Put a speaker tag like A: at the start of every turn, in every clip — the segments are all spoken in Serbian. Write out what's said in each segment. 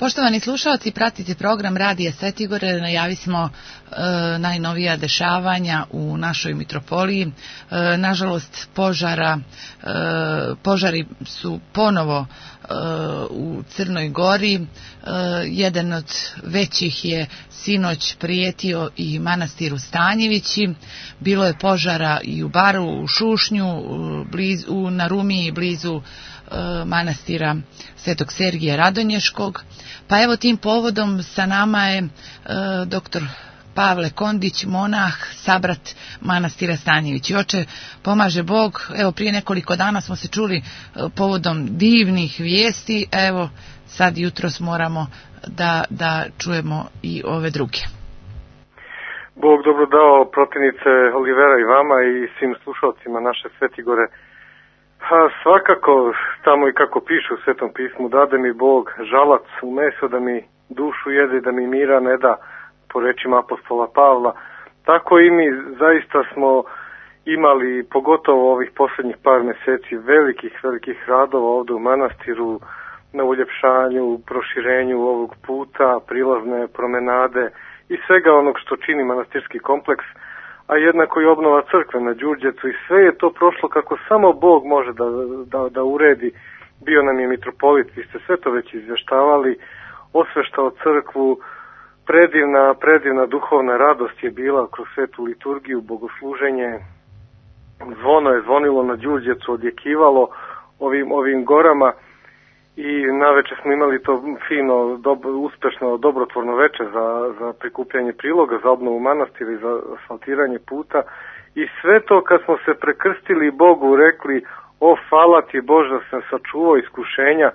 A: Poštovani slušalci, pratite program Radija Svetigore, najavismo najnovija dešavanja u našoj mitropoliji. Nažalost, požari su ponovo u Crnoj Gori. Jedan od većih je sinoć prijetio i manastiru Stanjevići. Bilo je požara i u Baru, u Šušnju, na Rumiji, blizu manastira Svetog Sergija Radonješkog. Pa evo, tim povodom sa nama je doktor Pavle Kondić, monah, sabrat manastira Stanjevići. Oče, pomaže Bog. Evo, prije nekoliko dana smo se čuli povodom divnih vijesti. Evo, sad jutros moramo da čujemo i ove druge.
B: Bog dobro dao, protivnice Olivera, i vama i svim slušalcima naše Svetigore. Svakako, tamo i kako piše u Svetom pismu, dade mi Bog žalac u meso da mi dušu jede, da mi mira ne da, po rečima apostola Pavla. Tako i mi zaista smo imali, pogotovo ovih posljednjih par mjeseci, velikih radova ovdje u manastiru, na uljepšanju, proširenju ovog puta, prilazne promenade i svega onog što čini manastirski kompleks, a jednako i obnova crkve na Đurđecu, i sve je to prošlo kako samo Bog može da uredi. Bio nam je mitropolit, vi ste sve to već izvještavali, osveštao crkvu, predivna duhovna radost je bila kroz svetu liturgiju, bogosluženje, zvono je zvonilo na Đurđecu, odjekivalo ovim gorama, i navečer smo imali to fino, uspešno, dobrotvorno večer za prikupljanje priloga, za obnovu manastira i za asfaltiranje puta. I sve to kad smo se prekrstili Bogu rekli, o hvala ti Bože da sam sačuvao iskušenja,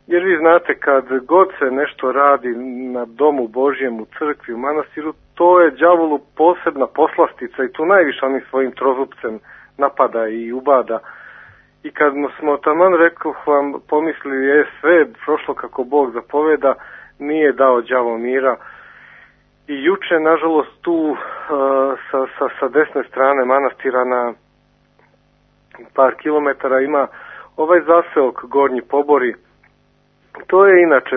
B: jer vi znate kad god se nešto radi na domu Božjem, u crkvi, u manastiru, to je đavolu posebna poslastica i tu najviše onim svojim trozupcem napada i ubada. I kad smo taman rekao vam pomislili je sve prošlo kako Bog zapoveda, nije dao đavo mira. I juče, nažalost, tu sa desne strane manastira na par kilometara ima ovaj zaseok Gornji Pobori. To je inače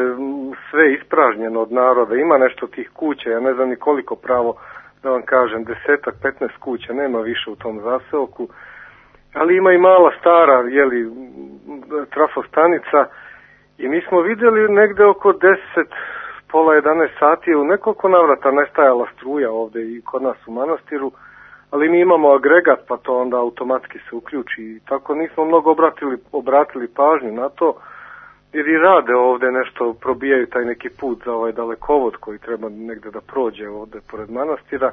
B: sve ispražnjeno od naroda, ima nešto tih kuća, ja ne znam ni koliko pravo da vam kažem, 10-15 kuća, nema više u tom zaseoku. Ali ima i mala stara, trafostanica, i mi smo vidjeli negde oko 10, pola 11 sati u nekoliko navrata nestajala struja ovdje i kod nas u manastiru, ali mi imamo agregat pa to onda automatski se uključi i tako nismo mnogo obratili pažnju na to, jer i rade ovdje nešto, probijaju taj neki put za ovaj dalekovod koji treba negde da prođe ovdje pored manastira,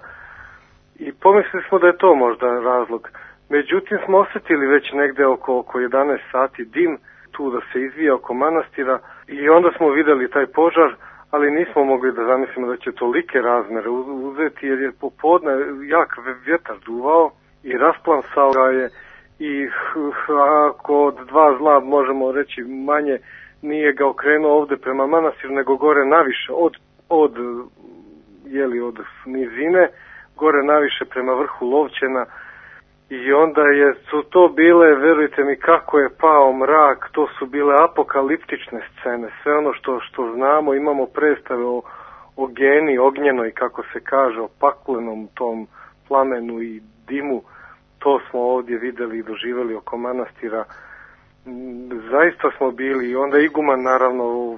B: i pomislili smo da je to možda razlog. Međutim, smo osjetili već negde oko 11 sati dim tu da se izvija oko manastira, i onda smo vidjeli taj požar, ali nismo mogli da zamislimo da će tolike razmere uzeti, jer je popodne jak vjetar duvao i rasplansao ga je, i ako od dva zla možemo reći manje, nije ga okrenuo ovdje prema manastiru, nego gore naviše, od nizine, gore naviše prema vrhu Lovćena. I onda su to bile, verujte mi, kako je pao mrak, to su bile apokaliptične scene. Sve ono što znamo, imamo predstave o geni ognjenoj, kako se kaže, o paklenom tom plamenu i dimu, to smo ovdje vidjeli i doživjeli oko manastira. Zaista smo bili, i onda iguman naravno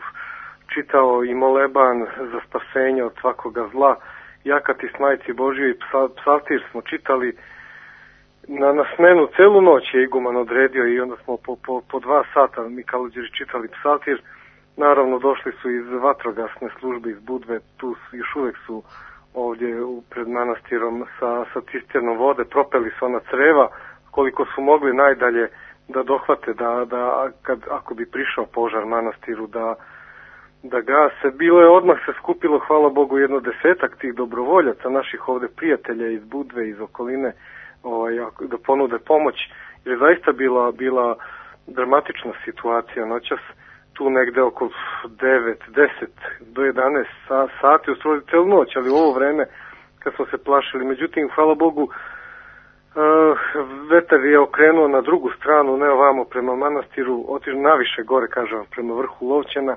B: čitao i moleban za spasenje od svakoga zla, Jakati s Majci Božjoj i psaltir smo čitali. Na smenu celu noć je iguman odredio, i onda smo po 2 sata mi kaluđeri čitali psaltir. Naravno došli su iz vatrogasne službe iz Budve, tu još uvijek su ovdje pred manastirom sa cisternom vode, propeli su ona creva koliko su mogli najdalje da dohvate, da ako bi prišao požar manastiru da gase. Bilo je, odmah se skupilo, hvala Bogu, 10 tih dobrovoljaca, naših ovdje prijatelja iz Budve, iz okoline, da ponude pomoć, jer je zaista bila dramatična situacija noćas, tu negde oko 9, 10 do 11 sati, u stvari celu noć, ali u ovo vreme kad smo se plašili. Međutim, hvala Bogu, vetar je okrenuo na drugu stranu, ne ovamo prema manastiru, otišao naviše gore, kažem, prema vrhu Lovćena,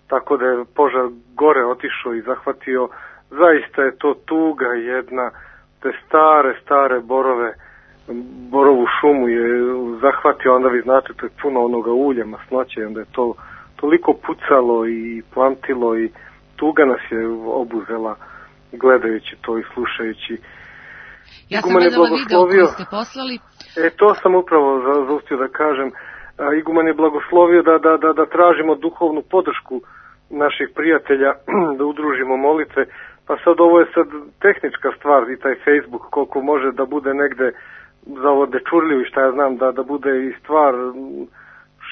B: tako da je požar gore otišao i zahvatio. Zaista je to tuga jedna, te stare borovu šumu je zahvatio, onda vi znate, to je puno onoga ulja, masnoće, onda je to toliko pucalo i plantilo i tuga nas je obuzela gledajući to i slušajući.
A: Ja sam gledala video koji ste poslali.
B: To sam upravo zaustio da kažem. Iguman je blagoslovio da tražimo duhovnu podršku naših prijatelja, da udružimo molitve. Pa sad ovo je sad tehnička stvar i taj Facebook koliko može da bude negde za ovo dečurljivo i šta ja znam, da bude i stvar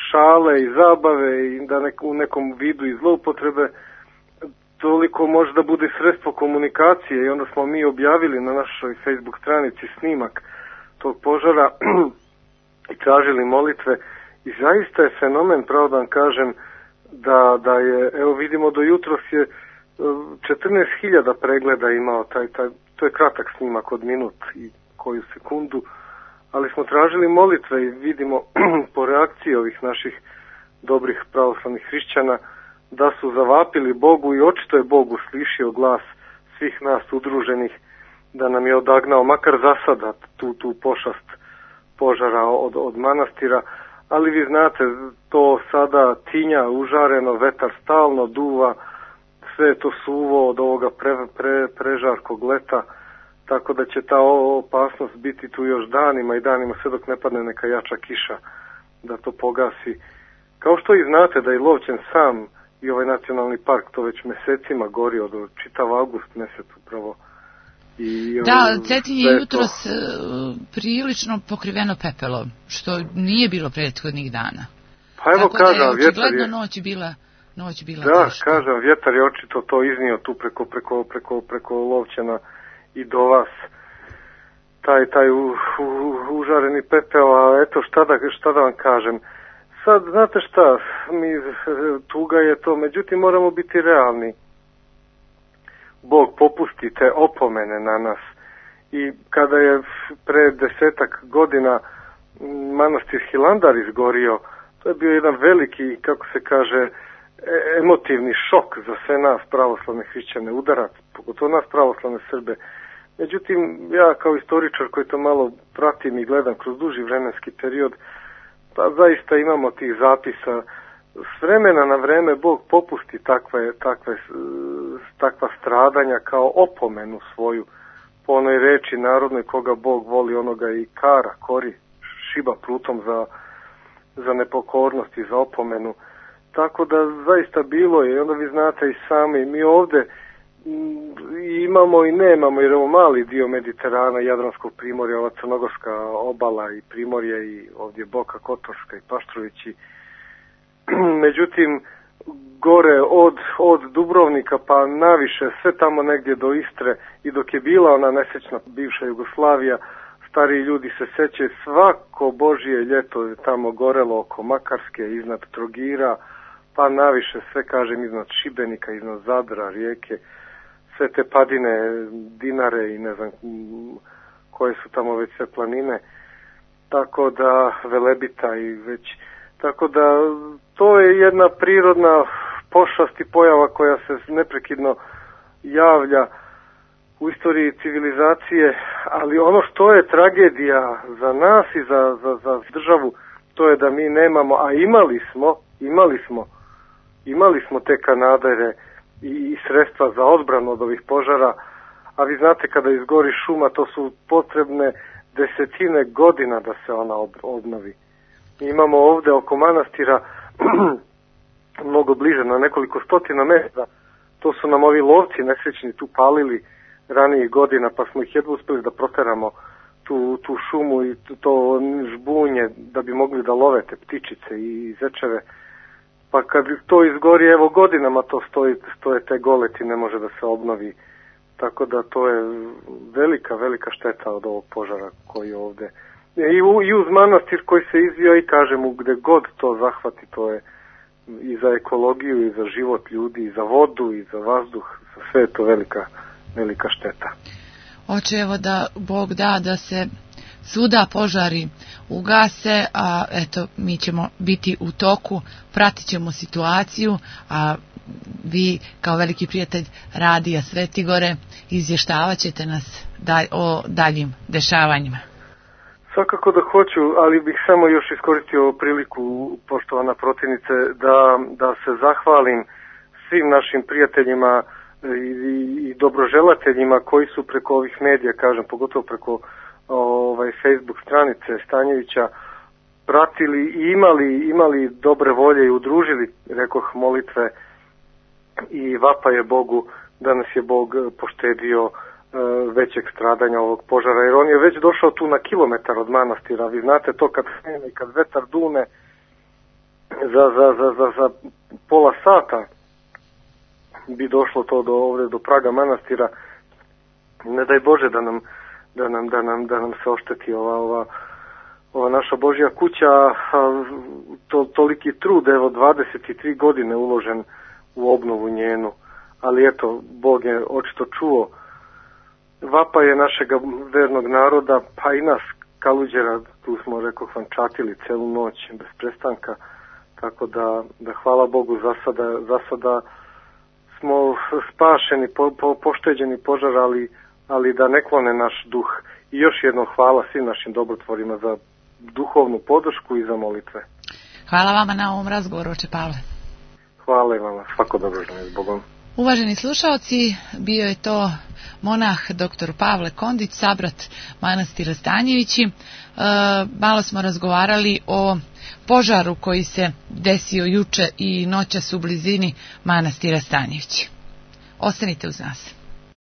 B: šale i zabave i da u nekom vidu i zloupotrebe, toliko može da bude sredstvo komunikacije i onda smo mi objavili na našoj Facebook stranici snimak tog požara i tražili molitve i zaista je fenomen, pravo da vam kažem, da je, evo vidimo do jutros je 14.000 pregleda imao to je kratak snimak od minut i koju sekundu, ali smo tražili molitve i vidimo po reakciji ovih naših dobrih pravoslavnih hrišćana da su zavapili Bogu i očito je Bog uslišio glas svih nas udruženih da nam je odagnao makar za sada tu pošast požara od manastira, ali vi znate to sada tinja, užareno, vetar stalno duva, sve je to suvo od ovoga prežarkog leta, tako da će ta opasnost biti tu još danima i danima sve dok ne padne neka jača kiša da to pogasi. Kao što i znate da je Lovćen sam i ovaj nacionalni park to već mesecima gori od čitav avgust mesec upravo.
A: Da, Cetinje je jutros prilično pokriveno pepelom, što nije bilo prethodnih dana.
B: Pa evo
A: tako
B: kažem,
A: da je
B: vjetar
A: je noć bila
B: da,
A: teška.
B: kažem, vjetar je očito to iznio tu preko Lovćena i do vas. Taj užareni pepeo, a eto šta da vam kažem. Sad, znate šta, tuga je to, međutim moramo biti realni. Bog popusti te opomene na nas. I kada je pre 10 godina manastir Hilandar izgorio, to je bio jedan veliki, kako se kaže, emotivni šok za sve nas pravoslavne hrišćane, udarac, pogotovo nas pravoslavne Srbe. Međutim, ja kao istoričar koji to malo pratim i gledam kroz duži vremenski period, pa zaista imamo tih zapisa. S vremena na vreme Bog popusti takva stradanja kao opomenu svoju. Po onoj reči narodnoj, koga Bog voli, onoga i kori, šiba prutom za nepokornost i za opomenu. Tako da zaista bilo je, i onda vi znate i sami, mi ovde imamo i nemamo, jer ovo mali dio Mediterana, Jadranskog primorja, ova crnogorska obala i primorje i ovdje Boka Kotorska i Paštrovići. Međutim, gore od Dubrovnika pa naviše, sve tamo negdje do Istre i dok je bila ona nesrećna bivša Jugoslavija, stariji ljudi se sećaju, svako Božje ljeto je tamo gorelo oko Makarske, iznad Trogira, pa naviše sve, kažem, iznad Šibenika, iznad Zadra, Rijeke, sve te padine, Dinare i ne znam koje su tamo već sve planine, tako da Velebita i već, tako da to je jedna prirodna pošast i pojava koja se neprekidno javlja u istoriji civilizacije, ali ono što je tragedija za nas i za državu, to je da mi nemamo, a imali smo te kanadere i sredstva za odbranu od ovih požara, a vi znate kada izgori šuma, to su potrebne desetine godina da se ona obnovi. Mi imamo ovde oko manastira mnogo bliže, na nekoliko stotina metara, to su nam ovi lovci nesrećni tu palili ranijih godina, pa smo ih jedva uspeli da proteramo tu šumu i to žbunje da bi mogli da love te ptičice i zečeve. Pa kad to izgori, evo godinama to stoje te goleti, ne može da se obnovi. Tako da to je velika šteta od ovog požara koji je ovde. I uz manastir koji se izvio i kažem, gde god to zahvati, to je i za ekologiju, i za život ljudi, i za vodu, i za vazduh, sve je to velika šteta.
A: Oče, evo da Bog da se svuda požari ugase, a eto mi ćemo biti u toku, pratit ćemo situaciju, a vi kao veliki prijatelj Radija Svetigore izvještavat ćete nas o daljim dešavanjima.
B: Svakako da hoću, ali bih samo još iskoristio priliku, poštovana protivnice, da se zahvalim svim našim prijateljima i dobroželateljima koji su preko ovih medija, kažem, pogotovo preko Facebook stranice Stanjevića, pratili i imali dobre volje i udružili, rekoh, molitve i vapaje Bogu da nas je Bog poštedio većeg stradanja ovog požara, jer on je već došao tu na kilometar od manastira. Vi znate to kad krene, kad vetar dune za pola sata bi došlo to do praga manastira. Ne daj Bože da nam se ošteti ova naša Božja kuća, toliki trud, evo 23 godine uložen u obnovu njenu, ali eto, Bog je očito čuo vapaje našega vernog naroda, pa i nas Kaluđera, tu smo, rekao, fančatili celu noć bez prestanka, tako da hvala Bogu za sada smo spašeni, pošteđeni požar, ali da ne klone naš duh. I još jednom hvala svim našim dobrotvorima za duhovnu podršku i za molitve.
A: Hvala vama na ovom razgovoru, oče Pavle.
B: Hvala i vama, svako dobro, žene s Bogom.
A: Uvaženi slušalci, bio je to monah dr. Pavle Kondić, sabrat manastira Stanjevići. Malo smo razgovarali o požaru koji se desio juče i noćas u blizini manastira Stanjevići. Ostanite uz nas.